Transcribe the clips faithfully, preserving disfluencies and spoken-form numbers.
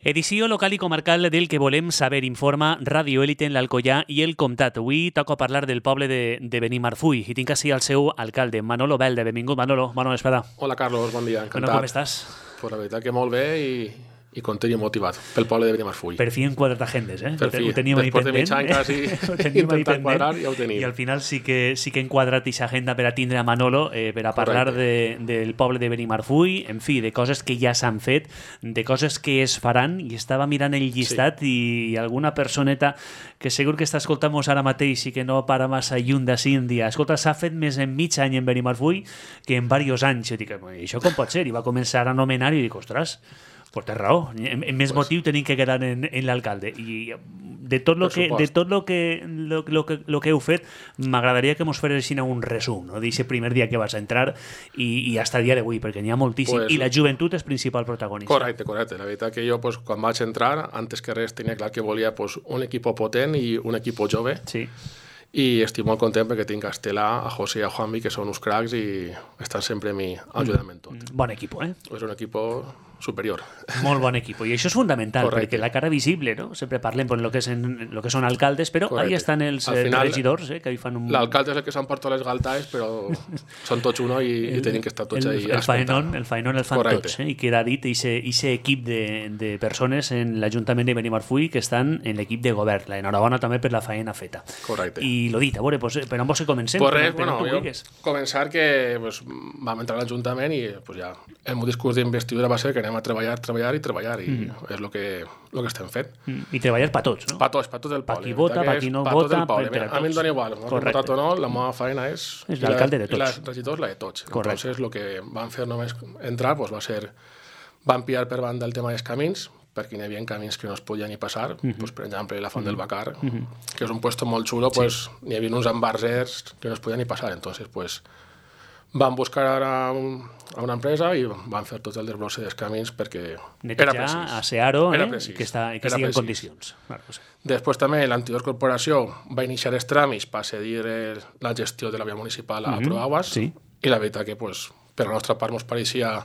Edició local i comarcal del que volem saber informa Radio Élite en l'Alcoià i el Comtat. Avui toca parlar del poble de, de Benimarfull i tinc així el seu alcalde, Manolo Belde. Benvingut, Manolo. Bona vesprada. Hola, Carlos. Bon dia. Encantat. Bueno, com estàs? Pues la veritat que molt bé i, i content i motivat pel poble de Benimarfull. Per fi hem quadrat agendes, eh? Per fi. Ho teníem ahí Després de mig pendent. any quasi intentant quadrar, ja ho tenim. I al final sí que, sí que hem quadrat aquesta agenda per a tindre a Manolo, eh, per a parlar de, del poble de Benimarfull, en fi, de coses que ja s'han fet, de coses que es faran, i estava mirant el llistat sí. i alguna personeta que segur que està escoltant-nos ara mateix i que no para massa lluny d'ací en dia. Escolta, s'ha fet més en mig any en Benimarfull que en diversos anys. Jo dic, això com pot ser? I va començar a anomenar i dic, ostres, pues té raó, en, en més pues, motiu tenim que quedar en, en l'alcalde. I de tot lo que, de tot lo que, lo, lo que, lo que heu fet, m'agradaria que mos feressin un resum, no? D'aquest primer dia que vas entrar i, i hasta el dia d'avui, perquè n'hi ha moltíssim. Pues, I la joventut és principal protagonista. Correcte, correcte. La veritat que jo, pues, quan vaig entrar, antes que res tenia clar que volia pues, un equip potent i un equip jove. Sí. I estic molt content perquè tinc a Estela, a José i a Juanvi, que són uns cracs i estan sempre a mi ajudant en tot. Bon equip, eh? És un equip superior. Molt bon equip. I això és fundamental, Correcte. perquè la cara visible, no? Sempre parlem per lo que, és en, lo que són alcaldes, però Correcte. Ahí estan els final, regidors, eh, que hi fan un... L'alcalde és el que s'emporta les galtaes, però són tots uno i, el, i tenim que estar tots ahí. El faenon, el faenon el fan Correcte. Tots, eh? I queda dit aquest equip de, de persones en l'Ajuntament de Benimarfull que estan en l'equip de govern. Enhorabona també per la faena feta. Correcte. I lo dit, a veure, pues, per on vols que comencem? Pues res, bueno, jo començar que pues, vam entrar a l'Ajuntament i pues, ja, el meu discurs d'investidura va ser que anem a treballar, treballar i treballar i mm. és el que, lo que estem fent. Mm. I treballar per tots, no? Per tots, per tot el poble. Per qui vota, per qui no pa vota, per, per tots. A mi em dona igual, no? Votat o no, la meva feina és... És l'alcalde de tots. I la regidors, la de tots. Correcte. Entonces, el que van fer només entrar pues, va ser... Van pillar per banda el tema dels camins, perquè hi havia camins que no es podien ni passar, mm -hmm. pues, per exemple, la Font mm -hmm. del Bacar, mm -hmm. que és un puesto molt xulo, pues, sí. Hi havia uns embarsers que no es podien ni passar, entonces, pues, van buscar ara un, a una empresa i van fer tot el desbrosse dels camins perquè netejar, era precís. A Searo, eh? Era precís. que, està, que estigui en condicions. Claro, pues. Després també l'anterior corporació va iniciar els tràmits per cedir la gestió de la via municipal a mm -hmm. Proaguas sí. i la veritat que pues, per la nostra part ens pareixia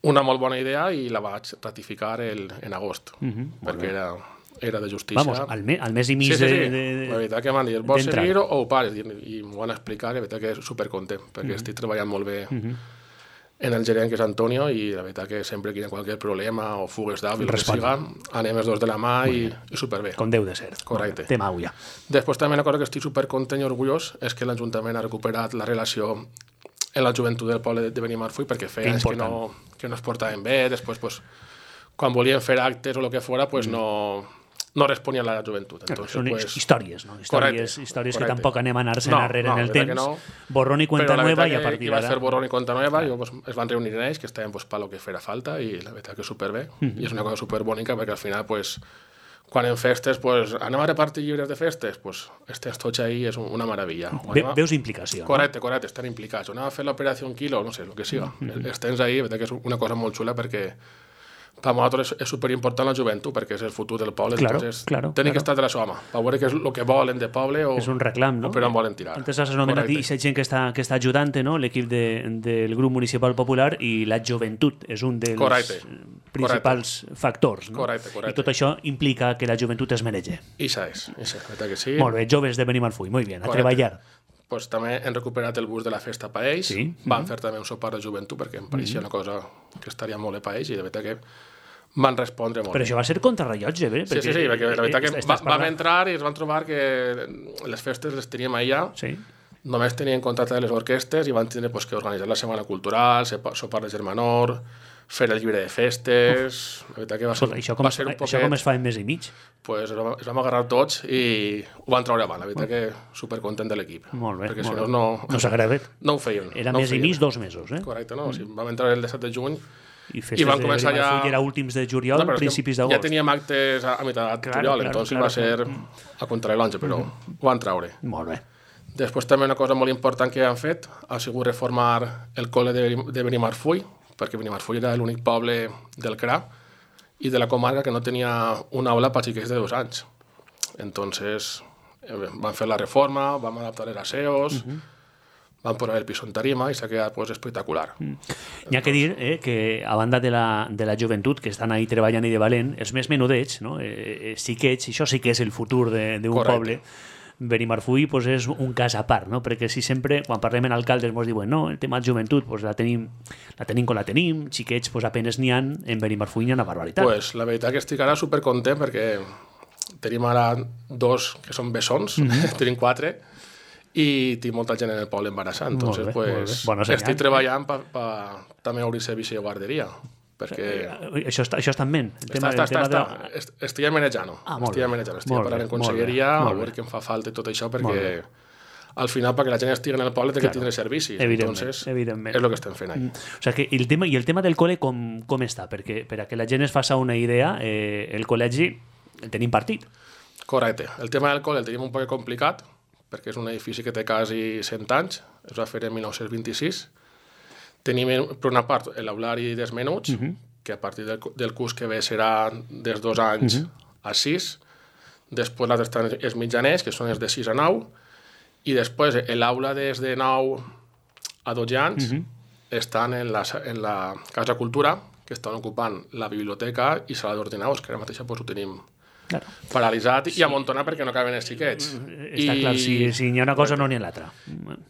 una molt bona idea i la vaig ratificar el, en agost, mm -hmm. perquè era, era de justícia. Vamos, al, me, al mes i mig sí, sí, sí. de, de... La veritat que m'han dit, vols seguir o ho pares? I, i m'ho van explicar, la veritat que és supercontent, perquè mm -hmm. estic treballant molt bé mm -hmm. en el gerent, que és Antonio, i la veritat que sempre que hi ha qualsevol problema o fugues d'àvil, que siga, anem els dos de la mà i, i superbé. Com deu de ser. Correcte. Té mau ja. Després també una cosa que estic supercontent i orgullós és que l'Ajuntament ha recuperat la relació en la joventut del poble de Benimarfull, perquè feia anys que no, que no es portaven bé, després pues, quan volien fer actes o el que fora, pues, mm. no, no responien a la joventut. Entonces, Són pues, històries, no? Històries, correcte, històries correcte. que tampoc anem a anar-se no, enrere no, en el temps. No. Borrón i cuenta nueva i a partir d'ara... Però la veritat que va fer borrón i cuenta nueva, i pues, es van reunir en ells, que estaven pues, per lo que fera falta, i la veritat que superbé. Mm -hmm. I és una cosa superbònica, perquè al final, pues, quan en festes, pues, anem a repartir llibres de festes, pues, estàs tots ahí, és una meravella. Ve, veus implicació, correcte, no? Correcte, estan implicats. O anem a fer l'operació Quilo, no sé, el que siga. Mm -hmm. Estens ahí, que és una cosa molt xula, perquè per nosaltres és superimportant la joventut, perquè és el futur del poble. Claro, entonces, claro, tenim claro. que estar de la seva mà, per veure què és el que volen de poble o, és un reclam, no? o per on volen tirar. Antes has anomenat aquesta gent que està, que està ajudant, no? L'equip de, del grup municipal popular, i la joventut és un dels correcte. principals correcte. factors, no? Correcte, correcte. I tot això implica que la joventut es mereix. Ixa és, ixa, veritat que sí. Molt bé, joves de Benimarfull, molt bé, a correcte. Treballar. Pues també hem recuperat el bus de la festa per ells, sí. van mm-hmm. fer també un sopar de joventut, perquè em pareixia mm-hmm. una cosa que estaria molt bé per ells, i de veritat que van respondre molt. Però això va ser contrarrellotge, bé? Sí, sí, sí, perquè la veritat que va, vam entrar i es van trobar que les festes les teníem allà, sí. Només tenien contracte de les orquestes i van tindre pues, que organitzar la setmana cultural, sopar de germanor, fer el llibre de festes... La veritat que va ser, això com, va ser un poquet... Això com es fa en mes i mig? Pues es, vam, es vam agarrar tots i ho van treure avant. La veritat que supercontent de l'equip. Molt bé, perquè molt si bé. No, no s'agrada. No ho feien. Era no mes i mig, dos mesos, eh? Correcte, no? Mm. O sigui, vam entrar el disset de juny i festes I van començar de ja... era últims de juliol, no, principis d'agost. Ja teníem actes a, a meitat de juliol, claro, entonces claro, va ser claro. a contrarrellotge, però mm. ho van treure. Molt bé. Després també una cosa molt important que han fet ha sigut reformar el col·le de, de Benimarfull, perquè Benimarfull era l'únic poble del C R A i de la comarca que no tenia una aula per xiquets de dos anys. Entonces eh, van fer la reforma, vam adaptar els aseos, mm -hmm. van posar el piso en tarima i s'ha quedat pues, espectacular. Mm. N'hi ha que dir eh, que a banda de la, de la joventut que estan ahí treballant i de valent, els més menudets, no? eh, eh, xiquets, això sí que és el futur d'un poble. Benimarfull pues, és un cas a part, no? Perquè si sempre, quan parlem en alcaldes, ens diuen no, el tema de joventut pues, la, tenim, la tenim com la tenim, xiquets pues, apenes n'hi ha, en Benimarfull n'hi ha una barbaritat. Pues, la veritat que estic ara supercontent perquè tenim ara dos que són bessons, mm-hmm. tenim quatre, i tinc molta gent en el poble embarassant. Entonces, bé, pues, estic treballant per pa, també obrir servici de guarderia. Perquè... Això està, això està en ment. El tema, està, està, el està, tema està. De... Estic manejant. Ah, estic manejant. Estic parlant en conselleria, a veure què em fa falta i tot això, perquè al final, perquè la gent estigui en el poble, té claro, que tindre servicis. Evidentment, Entonces, evidentment. És el que estem fent ahí. O sea, que el tema, I el tema del col·le com, com està? Perquè per a que la gent es faci una idea, eh, el col·legi el tenim partit. Correcte. El tema del col·le el tenim un poc complicat, perquè és un edifici que té quasi cent anys, es va fer en mil nou-cents vint-i-sis. Tenim, per una part, l'aulari dels menuts, uh-huh. que a partir del, del curs que ve serà des dos anys uh-huh. a sis. Després l'altre estan els mitjaners, que són els de sis a nou. I després l'aula des de nou a dotze anys uh-huh. estan en la, en la Casa Cultura, que estan ocupant la biblioteca i sala d'ordinadors, que ara mateix pues, ho tenim claro. paralitzat sí. i amuntonat perquè no caben els xiquets. Està I... clar, si, si n'hi ha una cosa no n'hi ha l'altra.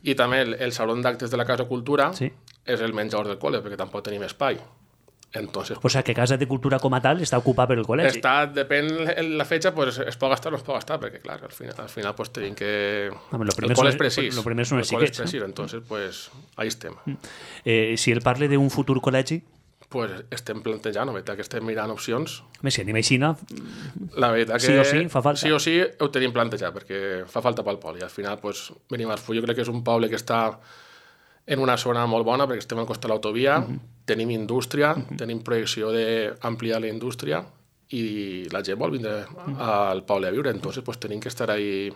I també el, el saló d'actes de la Casa Cultura sí. és el menjador del col·le, perquè tampoc tenim espai. Entonces, o sea, que Casa de Cultura com a tal està ocupada per el col·legi. Està, depèn la fecha, pues, es pot gastar o no es pot gastar, perquè clar, al final, al final pues, tenim que... Home, el col·le és precís. Lo primer són els xiquets. El entonces, pues, ahí estem. Eh, si el parle d'un futur col·legi? Pues estem plantejant, la veritat que estem mirant opcions. Més si anem així, la veritat que sí o sí fa falta. Sí o sí ho tenim plantejat, perquè fa falta pel poble. I al final, pues, Benimarfull jo crec que és un poble que està en una zona molt bona, perquè estem al costat de l'autovia, uh-huh. tenim indústria, uh-huh. tenim projecció d'ampliar la indústria i la gent vol vindre uh-huh. al poble a viure, entonces pues, tenim que estar ahí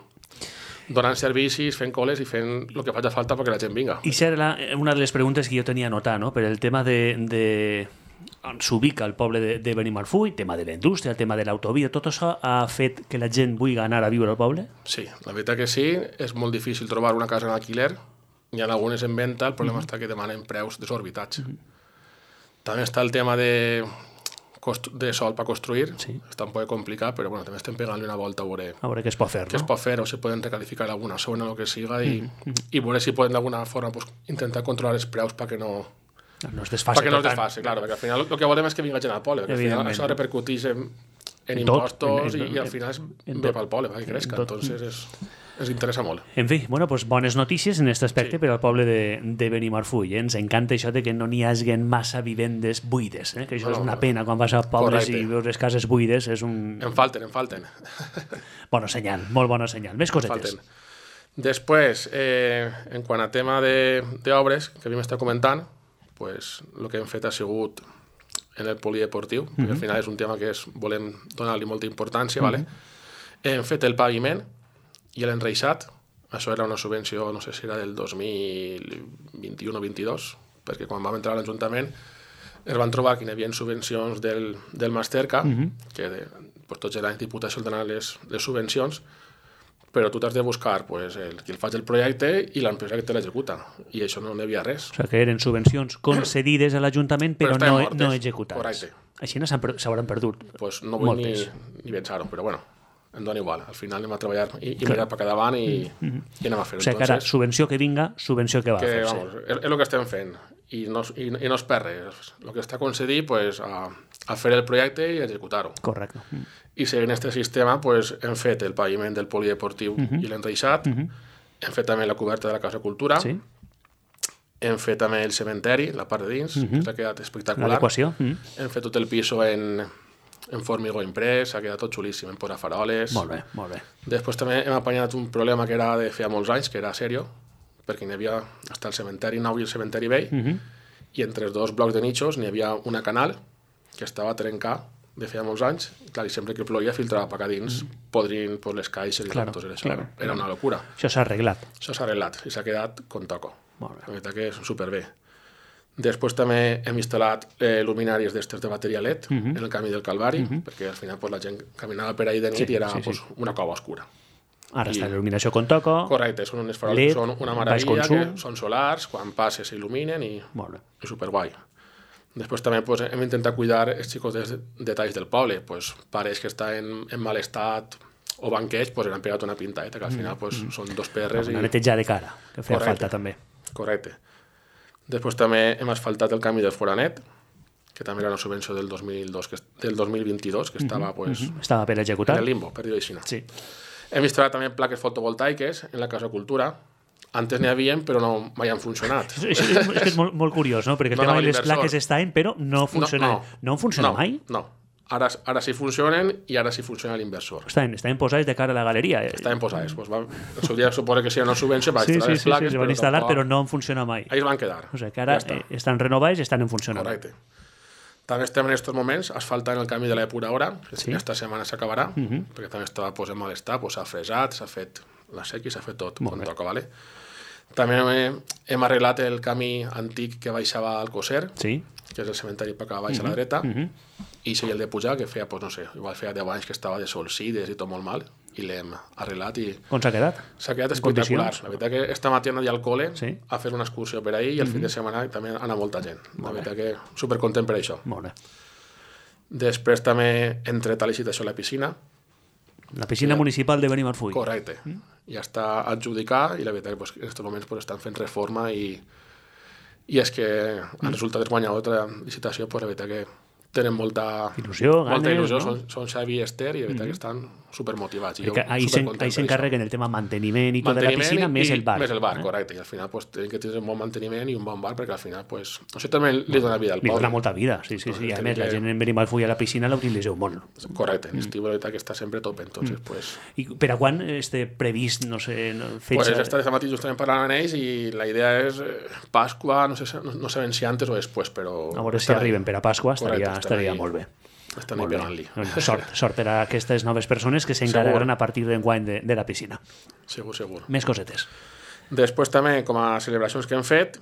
donant servicis, fent col·les i fent el que faci falta perquè la gent vinga. I serà una de les preguntes que jo tenia anotat, no? Per el tema de... de... on s'ubica el poble de, de Benimarfull, el tema de la indústria, el tema de l'autovia, tot això ha fet que la gent vulgui anar a viure al poble? Sí, la veritat que sí, és molt difícil trobar una casa en alquiler. Hi ha algunes en venda, el problema uh-huh. està que demanen preus desorbitats. Uh-huh. També està el tema de, de sol per construir, sí. està un poc complicat, però bueno, també estem pegant-li una volta a veure, a veure què es pot fer, què no? es pot fer, o si poden recalificar alguna zona, el que siga, i, uh-huh. i veure si poden d'alguna forma pues, intentar controlar els preus perquè no... No es desfase. Perquè no es desfase, claro, perquè al final el que volem és que vinga gent al poble, perquè al final això repercuteix en, en impostos en, en, i, i al final és bé pel poble, perquè crezca, entonces és... ens interessa molt. En fi, bueno, pues bones notícies en aquest aspecte sí. per al poble de, de Benimarfull. Eh? Ens encanta això de que no n'hi hagin massa vivendes buides, eh? que això no, és una pena quan vas a pobles correcte. I veus les cases buides. És un... En falten, en falten. Bona senyal, molt bona senyal. Més cosetes. Després, eh, en quant a tema d'obres que havíem estat comentant, pues, el que hem fet ha sigut en el polideportiu, mm-hmm. perquè al final és un tema que és, volem donar-li molta importància, mm-hmm. vale? Hem fet el paviment i l'enreixat, això era una subvenció, no sé si era del dos mil vint-i-u o vint-i-dos, perquè quan vam entrar a l'Ajuntament es van trobar que hi havia subvencions del, del Masterca, mm-hmm. que de, pues, tots els anys Diputació donen les, les subvencions, però tu t'has de buscar pues, el, qui el faig el projecte i l'empresa que te l'executa, i això no n'hi havia res. O sigui que eren subvencions concedides a l'Ajuntament, però, però no, no executades. Correcte. Així no s'hauran perdut pues no vull ni, ni pensar-ho, però bueno, em dona igual. Al final anem a treballar i, i mirar per cada davant i, mm-hmm. i anem a fer-ho. O sigui que ara, subvenció que vinga, subvenció que va que, a fer-se. Vamos, és, és el que estem fent i no, i, i no es perd res. El que està concedit pues, a, a fer el projecte i executar-ho. Correcte. Mm. I seguint aquest sistema pues, hem fet el paviment del polideportiu mm-hmm. i l'enreixat, mm-hmm. hem fet també la coberta de la Casa Cultura, sí. hem fet també el cementeri, la part de dins, mm-hmm. que s'ha quedat espectacular. L'adequació. Mm-hmm. Hem fet tot el piso en... en formigó imprès, ha quedat tot xulíssim, hem posat faroles. Molt bé, molt bé. Després també hem apanyat un problema que era de feia molts anys, que era serio, perquè n'hi havia hasta el cementeri nou i el cementeri vell, mm-hmm. i entre els dos blocs de nichos n'hi havia una canal que estava trencat de feia molts anys, clar, i sempre que ploia filtrava per acá dins, mm-hmm. podrint pues, les caixes i claro, tot això. Claro, era claro. Una locura. Això s'ha arreglat. Això s'ha arreglat i s'ha quedat con toco. Molt bé. La veritat que és superbé. Després també hem instal·lat eh, luminàries d'estes de bateria L E D uh-huh. en el camí del Calvari, uh-huh. perquè al final pues, la gent caminava per ahí de nit sí, i era sí, pues, sí. una cova oscura. Ara està l'il·luminació con toco. Correcte, són unes faroles que són una meravella, que són solars, quan passes s'il·luminen i, i superguai. Després també pues, hem intentat cuidar els xicots detalls del poble, pues, pares que estan en mal estat o banquets, pues, han pegat una pintadeta, que al final pues, mm. són dos perres. Una i... neteja de cara, que feia correcte, falta també. Correcte. Després també hem asfaltat el camí del Foranet, que també era una subvenció del dos mil dos, que, del dos mil vint-i-dos, que estava, pues, mm-hmm. estava per executar. En el limbo, per dir-ho així. Sí. Hem instal·lat també plaques fotovoltaiques en la Casa Cultura. Antes n'hi havia, però no mai han funcionat. És, és, és, és molt, molt curiós, no? Perquè el no, tema no, de les plaques estaven, però no funcionen. No, no. no funcionen no, mai? No, ara, ara sí funcionen i ara sí funciona l'inversor. Estaven, estaven posades de cara a la galeria. Eh? Estaven posades. Pues va, en seu dia suposa que si una subvenció va sí, instal·lar sí, les plaques, sí, sí, però, van instal·lar, tampoc... però no han funcionat mai. Ahí es van quedar. O sigui que ara ja eh, estan renovades i estan en funcionament. Correcte. També estem en aquests moments asfaltant el camí de l'Epura Hora, que sí. Aquesta setmana s'acabarà, uh -huh. perquè també estava pues, en mal estat, s'ha pues, fresat, s'ha fet la sequi, s'ha fet tot com toca, vale? També hem, hem arreglat el camí antic que baixava al Coser, sí. que és el cementari per acá baix uh -huh. a la dreta, uh -huh. i si el de pujar, que feia, pues, no sé, igual feia deu anys que estava de solsides i tot molt mal, i l'hem arreglat i... Com s'ha quedat? S'ha quedat espectacular. La veritat que esta matí anava al col·le sí. a fer una excursió per ahir i el uh -huh. fin de setmana també anava molta gent. La veritat que supercontent per això. Molt bé. Després també hem tret a licitació la piscina. La piscina ja. municipal de Benimarfull. Correcte. Mm. Ja està adjudicat i la veritat que pues, en aquests moments pues, estan fent reforma i, i és que mm. el resultat és guanyador de la licitació, pues, la veritat que tenen molta il·lusió, ganes, molta il·lusió. No? Són, són Xavi i Esther i la veritat mm. que estan supermotivats. I ahí s'encarreguen el tema manteniment i tot de la piscina, i, més el bar. Més el bar, eh? Correcte. I al final pues, tenen que tenir un bon manteniment i un bon bar perquè al final pues, això també li dona vida al poble. Li dona molta vida, sí, sí, sí. I a més, que... la gent en Benimarfull a la piscina la utilitzeu molt. Correcte. En estiu, la veritat que està sempre top. Entonces, mm. pues... I per a quan este previst, no sé, fetge? Pues esta de matí justament parlant amb ells i la idea és eh, Pasqua, no sé, no, no sabem si antes o després, però... A veure si arriben per a Pasqua, estaria, estaria molt bé. Estan ahí pegant-li. Sort, sort per a aquestes noves persones que s'encarregaran a partir d'enguany de, de la piscina. Segur, segur. Més cosetes. Després també, com a celebracions que hem fet,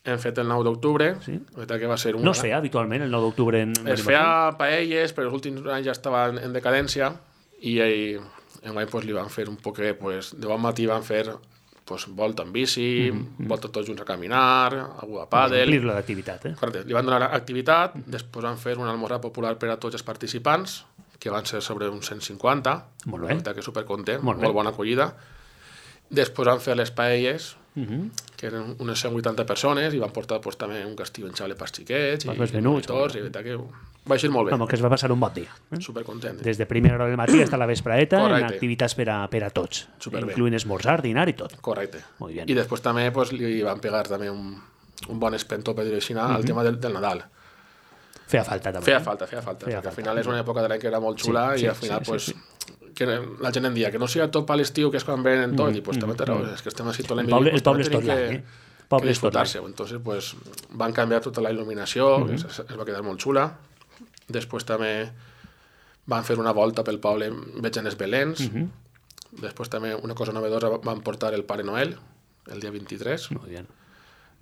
hem fet el nou d'octubre. Sí. Que va ser una... No es feia habitualment el nou d'octubre en... Es feia paelles, però els últims anys ja estava en decadència i ell, enguany pues, li van fer un poquet, pues, de bon matí van fer pues, volta en bici, mm-hmm. volta tots junts a caminar, algú a pàdel... Omplir-lo d'activitat, eh? Correcte. Li van donar activitat, després van fer un almorzar popular per a tots els participants, que van ser sobre uns cent cinquanta. Molt bé. Que supercontent, molt, molt bona acollida. Després van fer les paelles, mm-hmm. que eren unes cent vuitanta persones, i van portar pues, també un castillo en xale per xiquets, i, i monitors, i veritat que va ser molt bé. Home, que es va passar un bon dia. Eh? Supercontent. Des de primera hora del matí fins a la vespraeta, en activitats per a, per a tots, superbé. Incluint esmorzar, dinar i tot. Correcte. Molt bé. I després també pues, li van pegar també un, un bon espentó, per dir-ho així, mm-hmm. al tema del, del Nadal. Feia falta també. Feia falta, feia falta, feia perquè falta. Al final és una època de l'any que era molt xula sí, sí, i al final sí, pues, sí, sí. Que la gent en dia que no sigui tot per l'estiu, que és quan venen tot, mm, i pues, mm, també té raó, mm. és que estem així tot l'any. El poble, el poble és tot l'any, eh? Que disfrutar-se. Entonces, pues, van canviar tota la il·luminació, mm-hmm. es, es va quedar molt xula. Després també van fer una volta pel poble veient els belens. Mm-hmm. Després també una cosa novedosa, van portar el Pare Noel el dia vint-i-tres. Molt bé.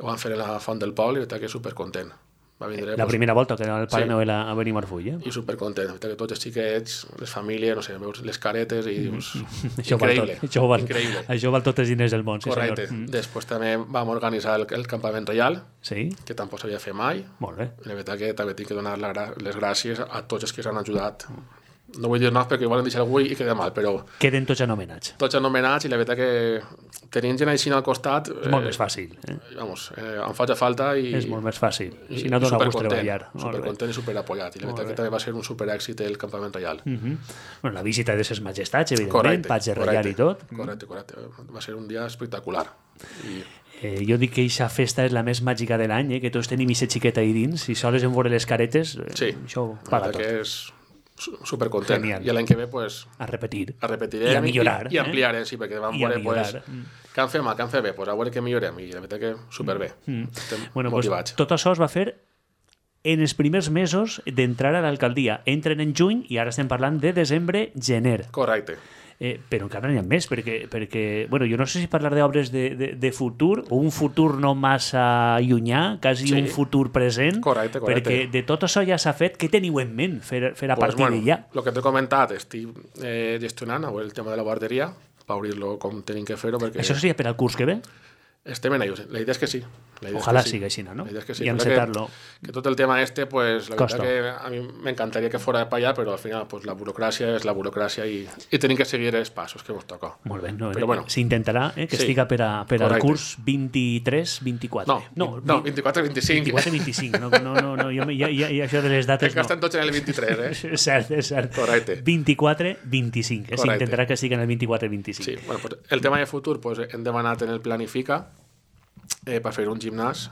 Ho van fer a la Font del Poble i està que supercontent. Va vindre, la pues, primera volta que era el Pare sí. Noel a, a Benimarfull, eh? I supercontent. Que tots els xiquets, les famílies, no sé, veus les caretes i dius... això increïble. Val, això, val, increïble. Això val tots els diners del món, sí, correcte. Senyor. Després també vam organitzar el, el campament reial, sí. que tampoc s'havia fet mai. Molt bé. I la veritat que també tinc que donar les gràcies a tots els que s'han ajudat. No vull dir noms perquè volen deixar algú i queda mal, però... Queden tots anomenats. Tots anomenats i la veritat que tenint gent així al costat... És molt eh, més fàcil. Eh? Vamos, eh, em faig falta i... És molt més fàcil. Si no dona gust treballar. Supercontent i superapoyat. I la veritat que també va ser un superèxit el campament reial. Uh -huh. Bueno, la visita de ses majestats, evidentment, patge reial i tot. Correcte, correcte. Va ser un dia espectacular. I... Eh, jo dic que aquesta festa és la més màgica de l'any, eh? Que tots tenim aquesta xiqueta ahí dins, i sols en veure les caretes, eh, sí. això paga tot. Que és supercontent. Genial. I l'any que ve, pues... A repetir. A repetirem. I a millorar. I, i ampliarem, eh? Sí, perquè vam veure, pues... Què han fet mal, què han fet bé? Pues a veure què millorem. I la veritat que superbé. Mm. Estem bueno, motivats. Pues, tot això es va fer en els primers mesos d'entrar a l'alcaldia. Entren en juny i ara estem parlant de desembre, gener. Correcte. Eh, però encara n'hi ha més, perquè, perquè bueno, jo no sé si parlar d'obres de, de, de futur o un futur no massa llunyà, quasi sí. un futur present, correcte, correcte. Perquè de tot això ja s'ha fet. Què teniu en ment fer, fer a pues, partir bueno, d'allà? El que t'he comentat, estic eh, gestionant el tema de la guarderia, per obrir-lo com tenim que fer-ho. Perquè... Això seria per al curs que ve? Estem en ello. La idea és que sí. Ojalá siga així, ¿no? La idea es que sí. Y encetarlo. Que, que todo el tema este, pues la Costo. verdad que a mí me encantaría que fuera para allá, pero al final, pues la burocracia es la burocracia y, y tienen que seguir els passos que ens toca. Molt bé, no, però bueno. S'intentarà eh, que sí. estiga per, a, per al curs vint-i-tres vint-i-quatre. No, no, no vint-i-quatre vint-i-cinc. vint-i-quatre vint-i-cinc, no, no, no, no jo, ja, ja, ja, això de les dates no. Que estan no. tots en el vint-i-tres, eh? És cert, és cert. Correcte. vint-i-quatre vint-i-cinc, eh? S'intentarà que estigui en el vint-i-quatre vint-i-cinc. Sí, bueno, pues el tema de futur, pues hem demanat en el Planifica eh, per fer un gimnàs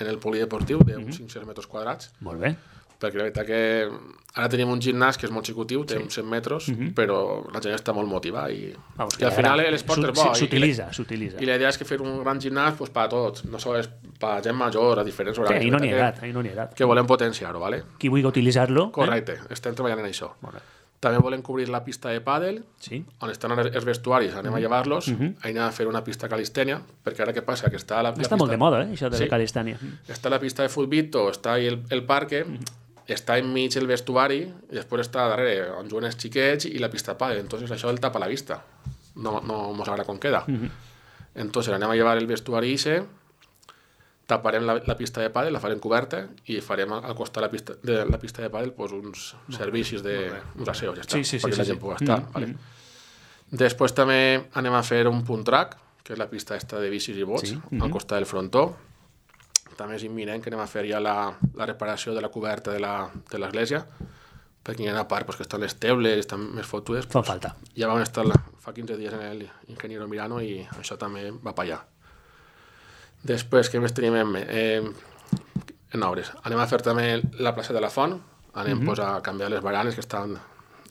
en el polideportiu d'uns mm -hmm. cinc-cents metres quadrats. Molt bé. Perquè la veritat que ara tenim un gimnàs que és molt xicotiu, té sí. uns cent metres, mm -hmm. però la gent està molt motivada i, Vamos, i al final l'esport és bo. S'utilitza, s'utilitza. I la idea és que fer un gran gimnàs pues, per a tots, no sols per a gent major, a diferents horaris. Sí, ahí no n'hi ha edat, ahí no n'hi ha edat. Que volem potenciar-ho, ¿vale? Qui vulgui utilitzar-lo... Correcte, eh? estem treballant en això. Molt bé. També volem cobrir la pista de pàdel, sí. on estan els vestuaris, anem mm -hmm. a llevar-los, mm -hmm. anem a fer una pista calistènia, perquè ara què passa? Que està la, la està pista... molt de moda, eh, això de sí. la calistènia. Està la pista de futbito, està ahí el, el parque, mm -hmm. està enmig el vestuari, i després està darrere on juguen els xiquets i la pista de pàdel, entonces això el tapa la vista. No, no mos agrada com queda. Mm -hmm. Entonces anem a llevar el vestuari ese, taparem la, la pista de pàdel, la farem coberta i farem al costat de la pista de, la pista de pàdel pues, uns no, servicis de uns aseos, ja està, sí, sí, perquè sí, la sí, gent sí. pugui estar. Mm -hmm. Vale? Després també anem a fer un punt track, que és la pista esta de bicis i bots, sí. mm -hmm. al costat del frontó. També és imminent que anem a fer ja la, la reparació de la coberta de l'església, perquè hi ha una part pues, que estan les teules, estan més fotudes. Fa pues, falta. Ja vam estar fa quinze dies en el Ingeniero Mirano i això també va per allà. Després, què més tenim en, eh, en obres? Anem a fer també la plaça de la Font, anem mm -hmm. pues, a canviar les baranes que estan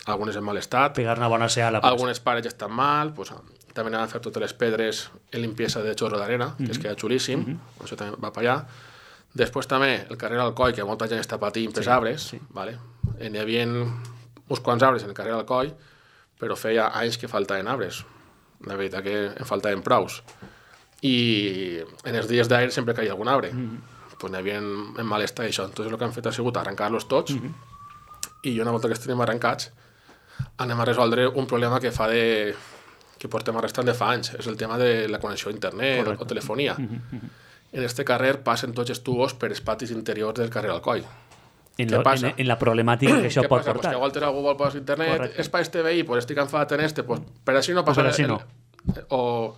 algunes en mal estat. Pegar una bona sea a la plaça. Algunes parets estan mal, pues, també anem a fer totes les pedres en limpiesa de xorro d'arena, mm -hmm. que es queda xulíssim, mm -hmm. això també va per allà. Després també el carrer Alcoi, que molta gent està patint per sí, arbres, sí. Vale? N'hi havia uns quants arbres en el carrer Alcoi, però feia anys que faltaven arbres. La veritat que en faltaven praus. I en els dies d'aire sempre caia algun arbre. Mm -hmm. Pues n'hi havia en, en mal estat això. Entonces el que han fet ha sigut arrencar-los tots mm -hmm. i una volta que estem arrencats anem a resoldre un problema que fa de... que portem arrestant de fa anys. És el tema de la connexió a internet o, o telefonia. Mm -hmm. En este carrer passen tots els tubos per els patis interiors del carrer Alcoi. En, lo, en, en la problemàtica que això pot passa? portar. Pues que a voltes algú vol posar internet, correcte. És per este veí, pues estic enfadat en este, pues per així no passa... Per així no. El, o,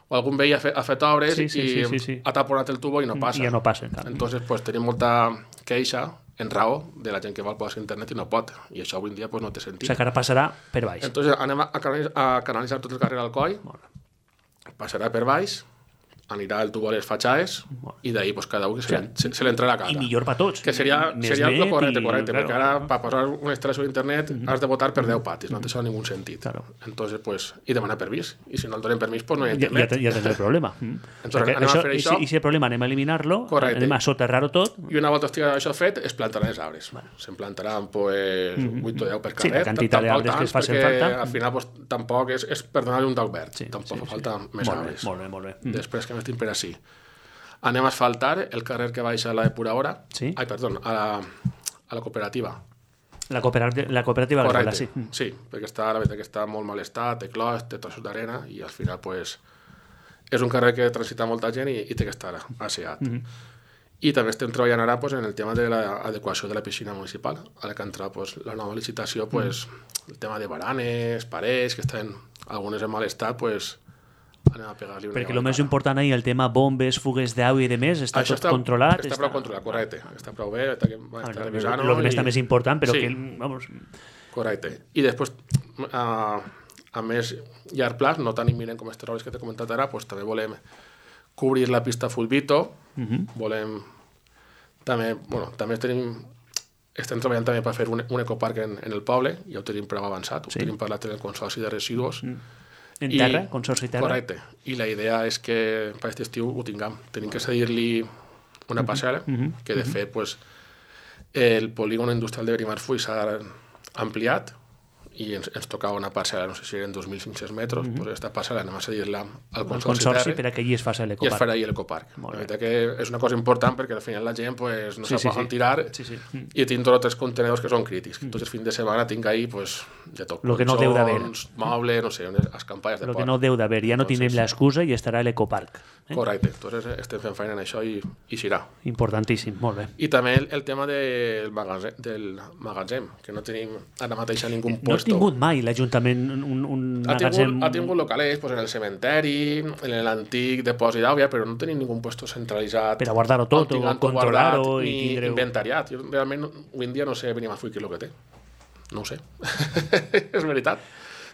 o algun veí ha fet, ha fet obres sí, sí, i sí, sí, sí. ha taponat el tubo i no passa. I ja no passa. Entonces, pues tenim molta queixa en raó de la gent que vol posar internet i no pot. I això avui en dia pues, no té sentit. O sigui que ara passarà per baix. Entonces anem a, canalitzar, a canalitzar tot el carrer Alcoi, passarà per baix, anirà el tubo a les fatxades i d'ahir pues, cada un que se, se, se l'entra a la cara. I millor per tots. Que seria, seria el correcte, correcte, i, perquè ara per posar una instal·lació d'internet uh -huh. has de votar per deu patis, no té això ningú sentit. Claro. Entonces, pues, i demanar permís. I si no el donen permís, pues no hi ha internet. Ja, ja, ja tens el problema. Entonces, anem això, a fer això. I si el problema anem a eliminar-lo, anem a soterrar-ho tot. I una volta estigui això fet, es plantaran els arbres. Bueno. Se'n plantaran pues, uh -huh. vuit o deu per carrer. Sí, la quantitat d'arbres que es facin falta. Al final, pues, tampoc és, és per donar-li un toc verd. Sí, tampoc sí, fa falta sí. més molt arbres. Bé, molt bé, molt bé. Després, que més tinc per així? Anem a asfaltar el carrer que baixa a la depuradora. Sí. Ai, perdó, a la, a la cooperativa. La cooperativa, la cooperativa Correcte, sí. Sí, perquè està, la veritat que està molt mal estat, té clos, té trossos d'arena i al final pues, és un carrer que transita molta gent i, i té que estar asseat. Mm -hmm. I també estem treballant ara pues, en el tema de l'adequació de la piscina municipal. Ara que entra pues, la nova licitació, pues, mm. el tema de baranes, parets, que estan algunes en mal estat, pues, anem a pegar-li una... Perquè el més important ahir, el tema bombes, fugues d'aigua i de més, està Això tot està, controlat? Està, està prou controlat, correcte. Està prou bé, està, està ah, revisant-ho. El que està i... més important, però sí. que... Vamos... Correcte. I després, a, a més llarg plaç, no tan imminent com aquestes obres que t'he comentat ara, pues, també volem cobrir la pista Fulvito, uh -huh. volem... També, bueno, també tenim... Estem treballant també per fer un, un ecoparc en, en el poble, ja ho tenim prou avançat, ho sí. tenim parlat en el Consorci de Residus, uh -huh. En terra, I, Consorci Terra? Correcte. I la idea és que per aquest estiu ho tinguem. Tenim que cedir-li una parcel·la, uh -huh. que de fet pues, el polígon industrial de Benimarfull s'ha ampliat i ens, ens tocava una parcel·la, no sé si eren dos mil cinc-cents metres, mm-hmm. pues aquesta parcel·la anem a cedir-la al Consorci, consorci per a que allí es faci l'ecoparc. I es farà allí l'ecoparc. La veritat que és una cosa important perquè al final la gent pues, no sí, sap sí, on sí. tirar sí, sí. i tinc dos o tres contenedors que són crítics. Mm. Tots els fins de setmana tinc ahí pues, de tot. Lo que no deu d'haver. Mobles, no sé, escampalles de Lo port. que no deu d'haver. Ja no Entonces, tindrem l'excusa i estarà a l'ecoparc. Eh? Correcte. Entonces estem fent feina en això i, i serà. Importantíssim, molt bé. I també el, el tema del magatzem, del magatzem, que no tenim ara mateix a ningú no puesto. No ha tingut mai l'Ajuntament un, un ha magatzem... Tingut, ha tingut locales pues, en el cementeri, en l'antic depòsit d'àvia, però no tenim ningú puesto centralitzat. Per a guardar-ho tot o controlar-ho i ni tindre... inventariat. Jo realment avui en dia no sé Benimarfull què és el que té. No ho sé. És veritat.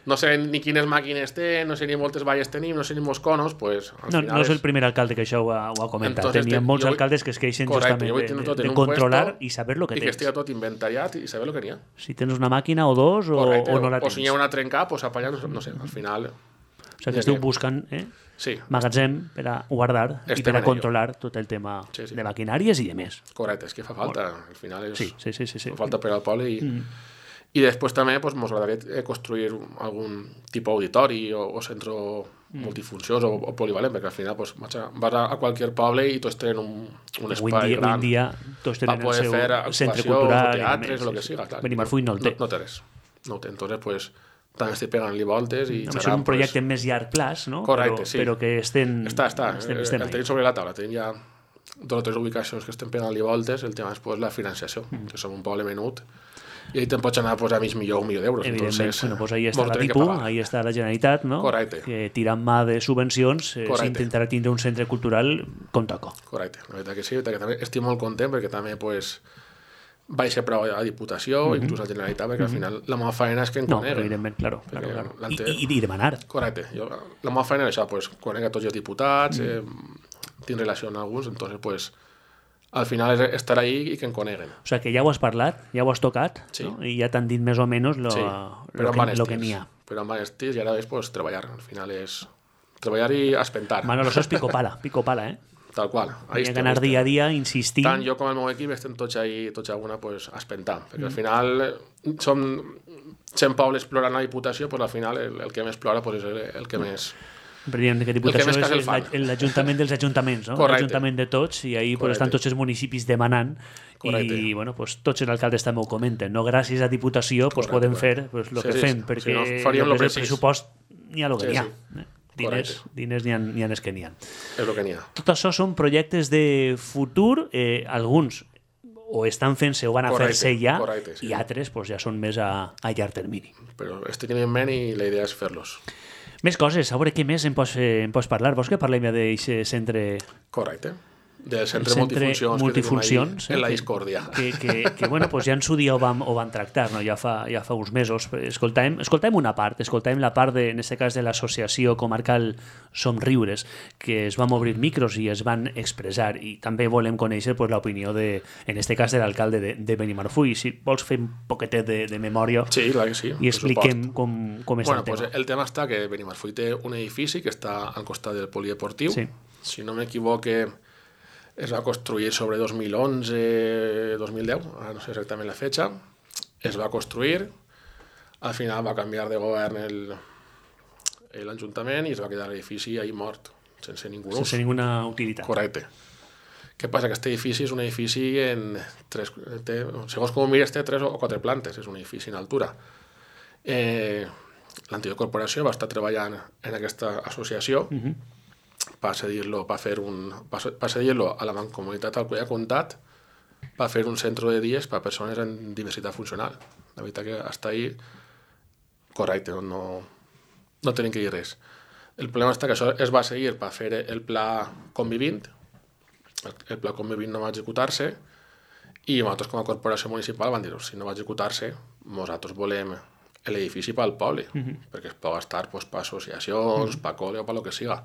No sé ni quines màquines té, no sé ni moltes valles tenim, no sé ni molts conos, pues, al no, final no és el primer alcalde que això ho ha, ho ha comentat. Entonces, Tenia molts vull... alcaldes que es queixen Correcte, justament de, de, de controlar i saber el que i tens. I que estigui tot inventariat i saber el que n'hi ha. Si tens una màquina o dos o, Correcte, o no la o tens. O si hi ha una trencar, pues apallà, no sé, al final... O sigui que esteu buscant eh? sí. magatzem per a guardar Estem i per a controlar tot el tema sí, sí. de maquinàries i de més. Correcte, és que fa falta. Al final és... Sí, sí, sí. sí, sí. Fa falta per al poble i... Mm. I després també ens pues, agradaria construir algun tipus auditori o, o centre mm. multifuncions o, o polivalent, perquè al final pues, vas a, a qualsevol poble i tots tenen un, un espai dia, gran. Avui dia tots tenen el seu centre o cultural. teatres, o el que siga. Benimarfull no el té. No, no té res. No ho té. Entonces, pues, també estic pegant-li voltes i no, serà... És un projecte pues... més llarg plaç, no? Correcte, però, sí. Però que estem... Està, està. Estem, estem el tenim sobre la taula. Tenim ja dos o tres ubicacions que estem pegant-li voltes. El tema és pues, la financiació, mm. que som un poble menut. I ahí te'n pots anar pues, a mig milió o un milió d'euros. Evidentment, bueno, pues ahí està la Dipu, ahí està la Generalitat, no? Correcte. Que tirant mà de subvencions eh, s'intentarà tindre un centre cultural com toca. Correcte, la veritat que sí, la veritat que també estic molt content perquè també pues, vaig ser prou a Diputació, mm-hmm. inclús a la Generalitat, perquè mm-hmm. al final la meva feina és que en no, coneguen. No, evidentment, claro. claro, claro. I, I, I demanar. Correcte. Jo, la meva feina és això, pues, conec a tots els diputats, mm. eh, tinc relació amb alguns, entonces, pues, al final és estar ahí i que en coneguen. O sigui que ja ho has parlat, ja ho has tocat, sí. no? I ja t'han dit més o menys lo, sí. lo, que, lo que n'hi ha. Però amb estils i ara és pues, treballar. Al final és treballar i espentar. Manolo, això és pico pala, pico pala, eh? Tal qual. Hi ha que anar dia a dia insistint. Tant jo com el meu equip estem tots ahí, tots a una, pues, espentant. Perquè mm. al final som cent pobles plorant a la Diputació, pues, al final el, el que més plora pues, és el, el que mm. més... Diem que Diputació que és l'Ajuntament dels Ajuntaments, no? L'Ajuntament de tots, i ahí pues, estan tots els municipis demanant. Correcte. I bueno, pues, tots els alcaldes també ho comenten. No? Gràcies a Diputació pues, podem fer pues, el sí, que sí, fem, perquè si no, el, el pressupost n'hi ha el que n'hi ha. Sí. Eh? Diners, diners n'hi ha, n'hi ha els que n'hi ha. És el que n'hi ha. Tot això són projectes de futur, eh, alguns o estan fent-se o van a fer-se ja, correcte, sí. I altres pues, ja són més a, a llarg termini. Però estic en ment i la idea és fer-los. Més coses, a veure què més em pots, eh, em pots parlar. Vols que parlem ja d'aquest centre... Correcte. Del centre, centre multifuncions, multifuncions que eh, en la discòrdia. Que, que, que bueno, pues ja en su dia ho van, ho van tractar, no? ja, fa, ja fa uns mesos. Escoltàvem, escoltàvem una part, escoltàvem la part, de, en aquest cas, de l'associació comarcal Somriures, que es van obrir micros i es van expressar, i també volem conèixer pues, l'opinió, de, en aquest cas, de l'alcalde de, de Benimarfull. Si vols fer un poquetet de, de memòria sí, clar que sí, i expliquem com, com és bueno, el tema. Pues el tema està que Benimarfull té un edifici que està al costat del polideportiu. Sí. Si no m'equivoque, es va construir sobre dos mil onze dos mil deu, no sé exactament la fecha. Es va construir, al final va canviar de govern l'Ajuntament i es va quedar l'edifici ahí mort, sense ningú ús. Sense ninguna utilitat. Correcte. Què passa? Que aquest edifici és un edifici en tres, té, segons com ho mires té tres o quatre plantes, és un edifici en altura. Eh, L'antiga corporació va estar treballant en aquesta associació, uh-huh. per cedir-lo per fer un, per cedir-lo a la mancomunitat al qual ha comptat per fer un centre de dies per a persones en diversitat funcional. La veritat que està ahí correcte, no, no, no tenim que dir res. El problema està que això es va seguir per fer el pla convivint, el, el pla convivint no va executar-se i nosaltres com a corporació municipal van dir si no va executar-se, nosaltres volem l'edifici pel poble, uh-huh. perquè es pot estar pues, per associacions, uh-huh. per col·le o per lo que siga.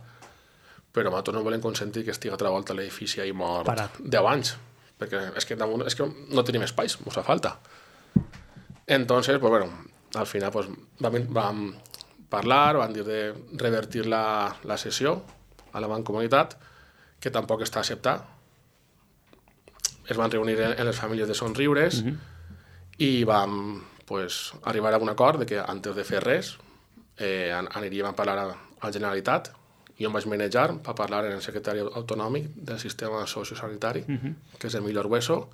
Però nosaltres no volem consentir que estigui altra volta l'edifici ahí mort Parat. deu anys, perquè és que, és que no tenim espais, ens fa falta. Entonces, pues bueno, al final pues, vam, vam parlar, van dir de revertir la, la sessió a la mancomunitat, que tampoc està acceptat. Es van reunir en, en les famílies de Somriures uh-huh. i vam pues, arribar a un acord de que antes de fer res eh, aniríem a parlar a la Generalitat. Jo em vaig manejar per parlar amb el secretari autonòmic del sistema sociosanitari, uh -huh. que és Emilio Argueso.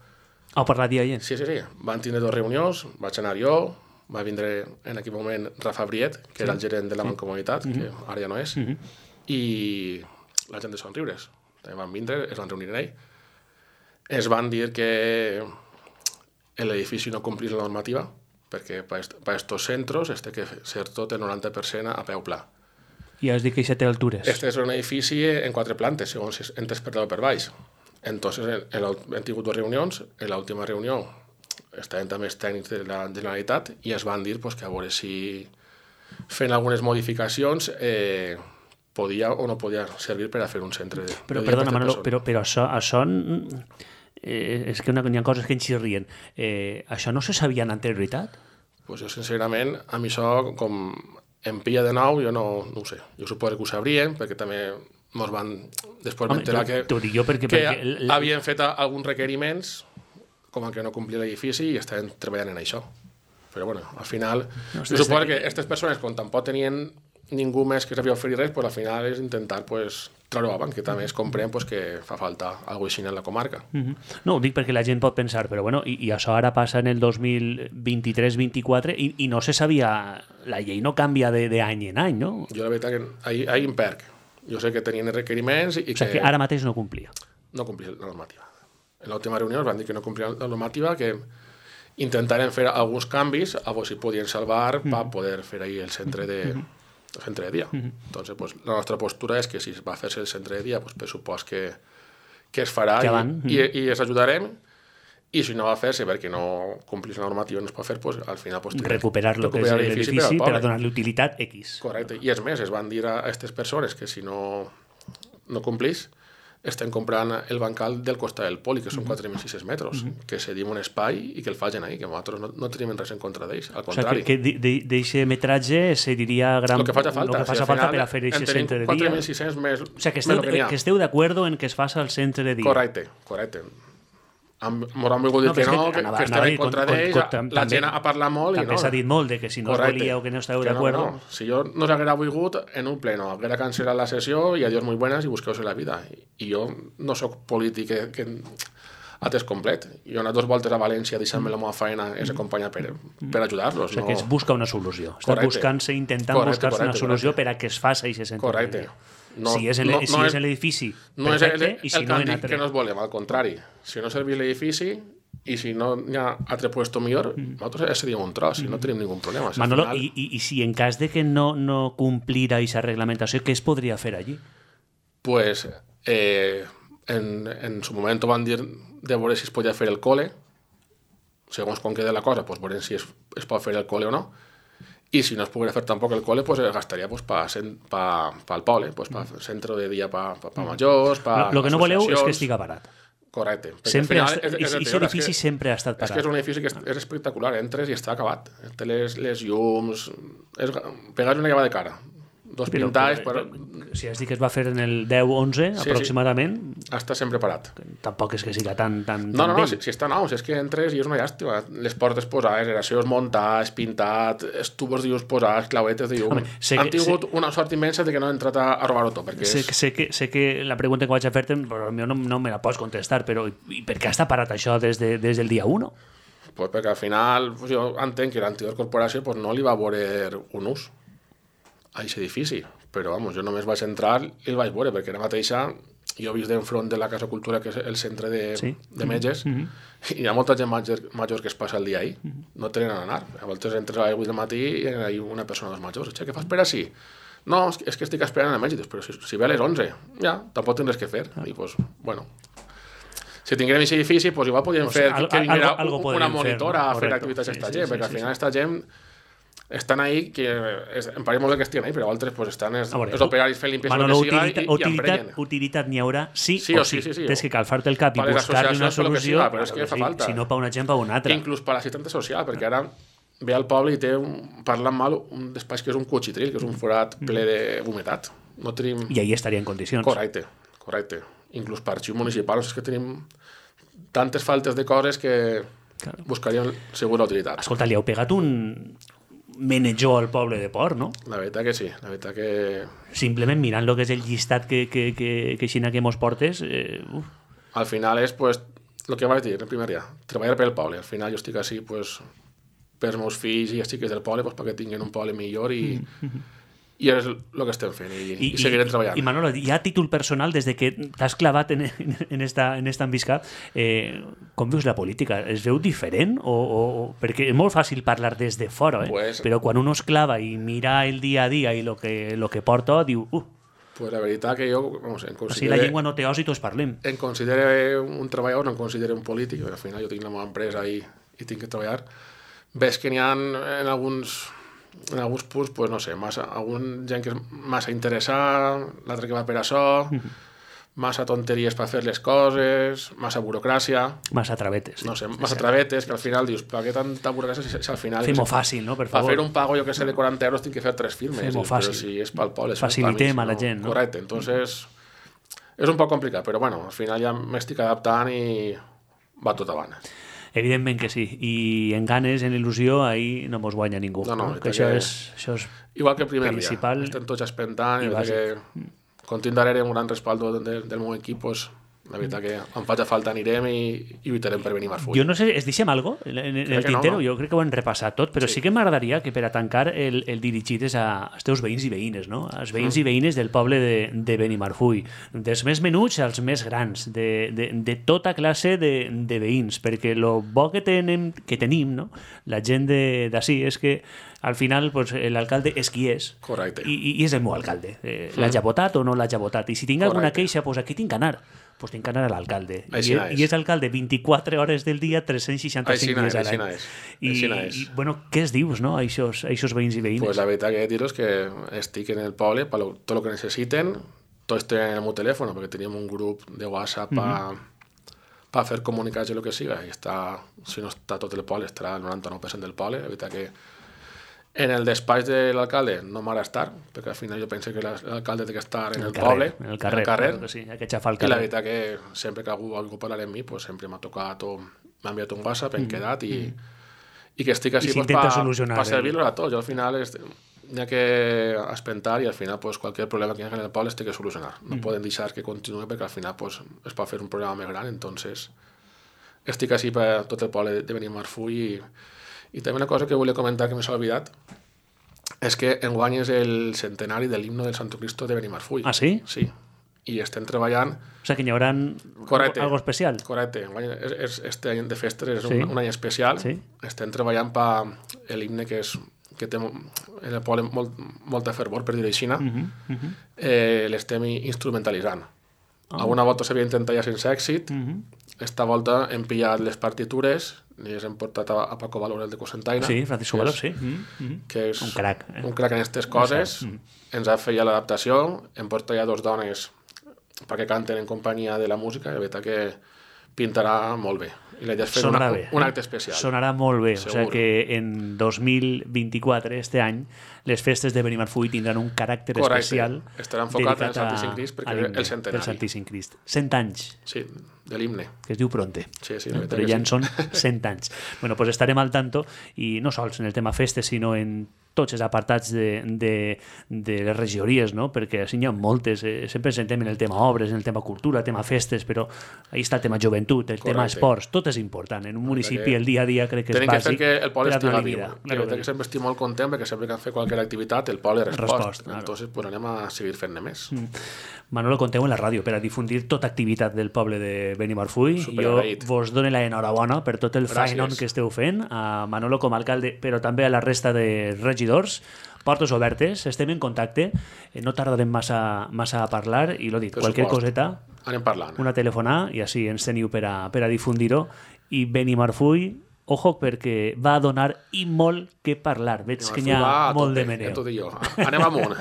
Ah, per la dia allà? Sí, sí, sí. Van tindre dues reunions, vaig anar jo, va vindre en aquell moment Rafa Briet, que sí. era el gerent de la Mancomunitat, uh -huh. que ara ja no és, uh -huh. i la gent de Somriures. També van vindre, es van reunir en ell. Es van dir que l'edifici no complís la normativa, perquè per aquests centres es té que ser tot el noranta per cent a peu pla. I has dit que això té altures. Este és un edifici en quatre plantes, segons si entres per dalt o per baix. Entonces, hem tingut dues reunions. En l'última reunió estaven també els tècnics de la Generalitat i es van dir pues, que a veure si fent algunes modificacions eh, podia o no podia servir per a fer un centre de... Però, perdona, Manolo, però, però això... això eh, és que una, hi ha coses que ens xirrien. Eh, això no se sabia en anterioritat? Pues jo, sincerament, a mi això, com em pilla de nou, jo no, no ho sé. Jo suposo que ho sabrien, perquè també ens van després m'enterar que, jo perquè, que perquè el... havien fet alguns requeriments com el que no complia l'edifici i estaven treballant en això. Però bueno, al final, no, jo suposo que aquestes persones, quan tampoc tenien ningú més que sabia oferir res, pues, al final és intentar pues, treure avant, que també es comprèn pues, que fa falta alguna cosa així en la comarca. Uh -huh. No, ho dic perquè la gent pot pensar, però bueno, i, i això ara passa en el dos mil vint-i-tres vint-i-quatre i, i no se sabia, la llei no canvia d'any en any, no? Jo la veritat que ahir, ahir em perc. Jo sé que tenien requeriments i o sigui, que... que ara mateix no complia. No complia la normativa. En l'última reunió es van dir que no complia la normativa, que intentarem fer alguns canvis a veure si podien salvar mm. per poder fer ahir el centre de... Mm. el centre de dia. Uh -huh. Entonces, pues, la nostra postura és que si va a fer-se el centre de dia, pues, per supòs que, que es farà i, uh -huh. i, i es ajudarem, i si no va a fer-se perquè no complís la normativa i no es pot fer, pues, al final... Pues, recuperar lo que és l'edifici per a donar-li utilitat X. Correcte. I és més, es van dir a aquestes persones que si no, no complís, estem comprant el bancal del costat del poli, que són quatre mil sis-cents metres, uh-huh. que cedim un espai i que el facin ahí, que nosaltres no, no tenim res en contra d'ells, al contrari. O sigui, que d'aquest metratge se diria gran... El que faci falta. Lo que faci si falta per a fer aquest centre de dia. quatre mil sis-cents més... O sigui, que esteu, que, que esteu d'acord en que es faci el centre de dia. Correcte, correcte. Ens han volgut dir no, que no, que, que, que estem en contra d'ells, la gent ha parlat molt i no. També s'ha dit molt de que si no correcte, us volíeu que no esteu d'acord... No, no. Si jo no s'haguera volgut en un pleno, haguera cancel·lat la sessió i adiós muy buenas i busqueu-se la vida. I jo no sóc polític que, que a temps complet. Jo he anat dos voltes a València deixant-me la meva feina és acompanyar per, per ajudar-los. O sigui, no... que es busca una solució. Està buscant-se, intentant buscar-se una solució correcte. Per a que es faci aquest centre. Correcte. No, si és, el, no, si no és l'edifici, no perfecte, és el, i si el no en altre... altre... que no es volem, al contrari. Si no serveix l'edifici i si no hi ha altre puesto millor, mm. nosaltres seríem un tros, si mm. no tenim ningú problema. Si Manolo, final... i, i, i si en cas de que no, no complira aquesta reglamentació, què es podria fer allí? Pues, eh, en, en su moment van dir de veure si es podia fer el cole, segons com queda la cosa, pues veurem si es, es pot fer el cole o no, i si no es poguera fer tampoc el cole, pues es gastaria pues, pa, pa, pa el poble, pues, pa centre de dia pa, pa, pa majors, pa Lo, lo que no voleu és que estiga barat. Correcte. Sempre ha, és, és, és edifici que, sempre ha estat parat. És que és un edifici que és, és espectacular, entres i està acabat. Té les, les llums... És, pegar una lleva de cara. Dos però, pintalls... Però, però, si has dit que es va fer en el deu onze, sí, aproximadament... Sí. Està sempre parat. Tampoc és que siga tan, tan, no, tan no, no, si, si està nou, si és que entres i és una llàstima. Les portes posades, generacions muntats, pintat, estubos de llums posats, clauetes de llum... Home, Han tingut sé, una sort immensa de que no han entrat a, a robar-ho tot, perquè sé, és... sé, que, sé que la pregunta que vaig a fer-te, però no, no me la pots contestar, però i per què està parat això des, de, des del dia u? Pues perquè al final pues jo entenc que l'anterior corporació pues, no li va veure un ús a aquest edifici, però vamos, jo només vaig entrar i el vaig veure, perquè ara mateixa jo he vist d'enfront de la Casa Cultura, que és el centre de, sí. de metges, mm-hmm. i hi ha molta gent major, major que es passa el dia ahí, mm-hmm. no tenen on anar. A voltes entres a les vuit del matí i hi ha una persona dels majors. Què fas per així? No, és que estic esperant el metge, però si, si ve a les onze, ja, tampoc tens res que fer. I pues, bueno... Si tinguérem aquest edifici, pues igual podríem pues, fer al, que vinguera algo, algo una monitora fer, no? a fer activitats a aquesta sí, gent, sí, perquè sí, al final aquesta sí. gent estan ahí, que es, em pareix molt que estiguen ahí, però altres pues, estan els, veure, els operaris fent limpiesa Manolo, que siga utilitat, i, i utilitat, utilitat n'hi haurà sí, sí o sí. sí. sí, sí, sí. Tens que calfar-te el cap i buscar-li una solució, siga, però és que fa sí, falta. Si no per una gent, per una altra. Inclús per l'assistència social, perquè ara ve al poble i té, un, parlant mal, un despatx que és un cuchitril, que és un forat ple de humitat. No tenim... I ahí estaria en condicions. Correcte, correcte. Inclús per arxiu municipal, és que tenim tantes faltes de coses que Claro. Buscarien segur la utilitat. Escolta, li heu pegat un menejó al poble de Port, no? La veritat que sí, la veritat que... Simplement mirant el que és el llistat que, que, que, que xina que mos portes... Eh, uf. Al final és, pues, el que vaig dir el primer dia, treballar pel poble. Al final jo estic així, pues, pels meus fills i els xiques del poble, pues, perquè tinguin un poble millor i... Mm-hmm. I és el que estem fent i, I, i seguirem treballant. I Manolo, ja a títol personal, des de que t'has clavat en, en, esta, en esta envisca, eh, com veus la política? Es veu diferent? O, o, perquè és molt fàcil parlar des de fora, eh? Pues, però quan uno es clava i mira el dia a dia i lo que, lo que porta, diu... Uh, pues la veritat que jo... Vamos, en considere, o sigui, la llengua no té os i tots parlem. Em considere un treballador, no em considere un polític, al final jo tinc la meva empresa i, i tinc que treballar. Ves que n'hi ha en alguns... en alguns punts, pues, no sé, massa, algun gent que és massa interessada, l'altre que va per això, massa tonteries per fer les coses, massa burocràcia... Massa travetes. Sí. No sé, massa travetes, que al final dius, per què tanta burocràcia si, si al final... Fem-ho fàcil, no? Per favor. Per fer un pago, jo que sé, de quaranta euros tinc que fer tres firmes. Fem-ho fàcil. Però si és pel poble... Facilitem a la gent, no? Correcte, entonces... És un poc complicat, però bueno, al final ja m'estic adaptant i va tot avant. Evidentment que sí, i en ganes, en il·lusió, ahir no mos guanya ningú. No, no, no? Que això, que... és, això és igual que el primer principal dia, estem tots expectant i, i que continu darrere un gran respaldo de, del meu equip, pues, la veritat que em faig a falta anirem i, i lluitarem per venir més full. Jo no sé, es deixem algo en, en el tintero? No, no. Jo crec que ho hem repassat tot, però sí, sí que m'agradaria que per a tancar el, el dirigires a, als teus veïns i veïnes, no? Als veïns mm. i veïnes del poble de, de Benimarfull, dels més menuts als més grans, de, de, de tota classe de, de veïns, perquè el bo que tenim, que tenim, no? La gent d'ací és que al final pues, l'alcalde és qui és. Correcte. I, i és el meu alcalde. Eh, mm. L'haig votat o no l'haig votat? I si tinc Correcte. Alguna queixa, pues aquí tinc que anar. Pues tinc que anar a l'alcalde. I, I és alcalde vint-i-quatre hores del dia, tres cents seixanta-cinc dies a l'any. I, I, bueno, què es dius, no, a aquests veïns i veïnes? Pues la veritat que dir-los que estic en el poble per tot el que necessiten, tots tenen el meu telèfon, perquè tenim un grup de WhatsApp per mm-hmm. pa fer comunicats de lo que siga, i està, si no està tot el poble, estarà el noranta-nou per cent del poble. La veritat que en el despatx de l'alcalde no m'agrada estar, perquè al final jo penso que l'alcalde té que estar en el, el carrer, poble, en el carrer, en el carrer. Claro que sí, hay que xafar el carrer. I la veritat que sempre que algú vol parlar amb mi, pues sempre m'ha tocat o m'ha enviat un WhatsApp, hem mm. quedat i, mm. i que estic així pues, per pa servir-los a tots. Jo al final n'hi ha que espentar i al final pues, qualsevol problema que hi ha en el poble es té que solucionar. No mm. poden deixar que continuï perquè al final pues, es pot fer un problema més gran, entonces estic així per tot el poble de Benimarfull i I també una cosa que volia comentar que m'he oblidat és que enguany és el centenari de l'himno del Santo Cristo de Benimarfull. Ah, sí? Sí. I estem treballant... O sigui que hi haurà algo especial. Correcte. És, és, este any de festes és sí. un, un any especial. Sí. Estem treballant per l'himne que, és, que té en el poble molt, molta fervor, per dir-ho així. Uh-huh, uh-huh. eh, l'estem instrumentalitzant. Oh. Alguna volta s'havia intentat ja sense èxit. Uh-huh. Esta volta hem pillat les partitures i els hem portat a, a Paco Valor, el de Cosentaina. Sí, Francisco Valor, sí. Mm-hmm. Que és un crac. Eh? Un crac en aquestes coses. Mm-hmm. Ens ha fet ja l'adaptació. Hem portat ja dos dones perquè canten en companyia de la música i la veritat que pintarà molt bé. I la idea és fer una, bé, un acte especial. Sonarà molt bé. Segur. O sigui que en dos mil vint-i-quatre, este any, les festes de Benimarfull tindran un caràcter Correcte. especial. Estarà enfocat en el Santíssim Crist perquè és el centenari. El Santíssim Crist. Cent anys. Sí, de l'himne. Que es diu Pronte. Sí, sí. Però ja en sí. són cent anys. Bueno, pues estarem al tanto i no sols en el tema festes, sinó en tots els apartats de, de, de les regidories, no? Perquè així n'hi ha moltes. Eh, sempre ens sentem en el tema obres, en el tema cultura, el tema festes, però ahí està el tema joventut, el Correcte. tema esports, tot és important. En un municipi el dia a dia crec que és bàsic. Tenim que fer que el poble estigui viu. Claro, que sempre estic molt content perquè sempre que han fet qualsevol activitat el poble respost. respost claro. Entonces pues anem a seguir fent-ne més. Mm. Manolo, conteu en la ràdio per a difundir tota activitat del poble de Benimarfull. Jo vos dono l'enhorabona per tot el faenon que esteu fent, a Manolo com a alcalde, però també a la resta de regidors. Portes obertes, estem en contacte, no tardarem massa, massa a parlar i l'ho dit, qualsevol coseta, anem parlant. Una telefonada i així ens teniu per a, per a difundir-ho. I Benimarfull, ojo, perquè va a donar i molt que parlar. Veig que n'hi ha molt de meneu. Ja t'ho dic jo. Anem amunt.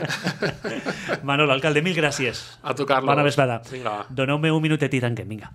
Manolo, alcalde, mil gràcies. A tu, Carlos. Bona vesprada. Vinga. Doneu-me un minutet i tanquem, vinga.